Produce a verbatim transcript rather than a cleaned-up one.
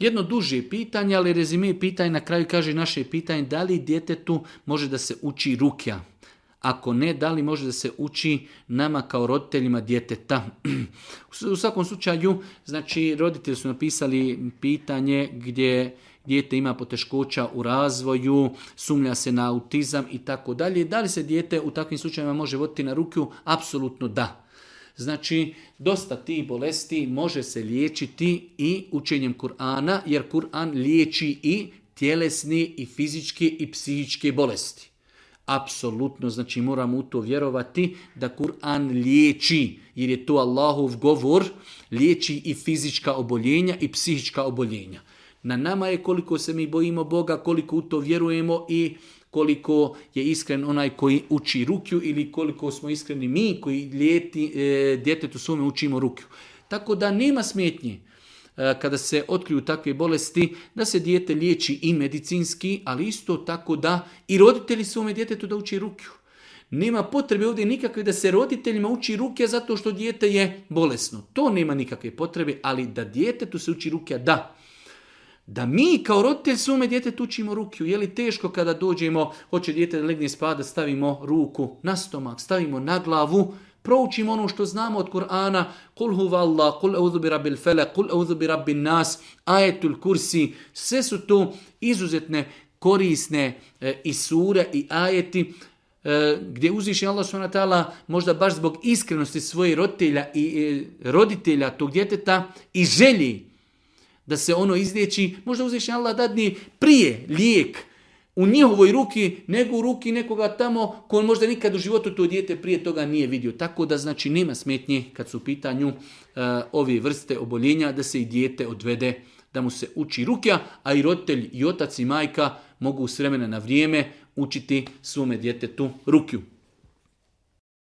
Jedno duže pitanje, ali rezime pitanje na kraju kaže naše pitanje da li djetetu može da se uči rukja. Ako ne, da li može da se uči nama kao roditeljima djeteta? U svakom slučaju, znači roditelji su napisali pitanje gdje dijete ima poteškoća u razvoju, sumnja se na autizam i tako dalje. Da li se dijete u takvim slučajevima može voditi na rukju? Apsolutno da. Znači, dosta tih bolesti može se liječiti i učenjem Kur'ana, jer Kur'an liječi i tjelesni, i fizičke, i psihičke bolesti. Apsolutno, znači moramo u to vjerovati da Kur'an liječi, jer je to Allahov govor, liječi i fizička oboljenja i psihička oboljenja. Na nama je koliko se mi bojimo Boga, koliko u to vjerujemo i koliko je iskren onaj koji uči rukju ili koliko smo iskreni mi koji lijeti, e, djetetu svome učimo rukju. Tako da nema smetnje e, kada se otkriju takve bolesti da se dijete liječi i medicinski, ali isto tako da i roditelji svome djetetu da uči rukju. Nema potrebe ovdje nikakve da se roditeljima uči rukja zato što dijete je bolesno. To nema nikakve potrebe, ali da djetetu se uči rukja, da. Da mi kao roditelj svome djetetu učimo rukju. Je li teško kada dođemo, hoće dijete da legne spava, da stavimo ruku na stomak, stavimo na glavu, proučimo ono što znamo od Kur'ana, kul huvallah, kul eudhu bi rabbil felak, kul eudhu bi rabbin nas, ajetul kursi, sve su to izuzetne korisne e, i sure i ajeti e, gdje uzviši Allah subhanahu wa ta'ala možda baš zbog iskrenosti svojih roditelja i e, roditelja tog djeteta i želji da se ono izliječi, možda uzviši Allah dadni prije lijek u njihovoj ruki nego u ruki nekoga tamo ko možda nikad u životu to dijete prije toga nije vidio. Tako da znači nema smetnje kad su u pitanju uh, ove vrste oboljenja da se i dijete odvede, da mu se uči rukja, a i roditelj i otac i majka mogu s vremena na vrijeme učiti svome djetetu rukju.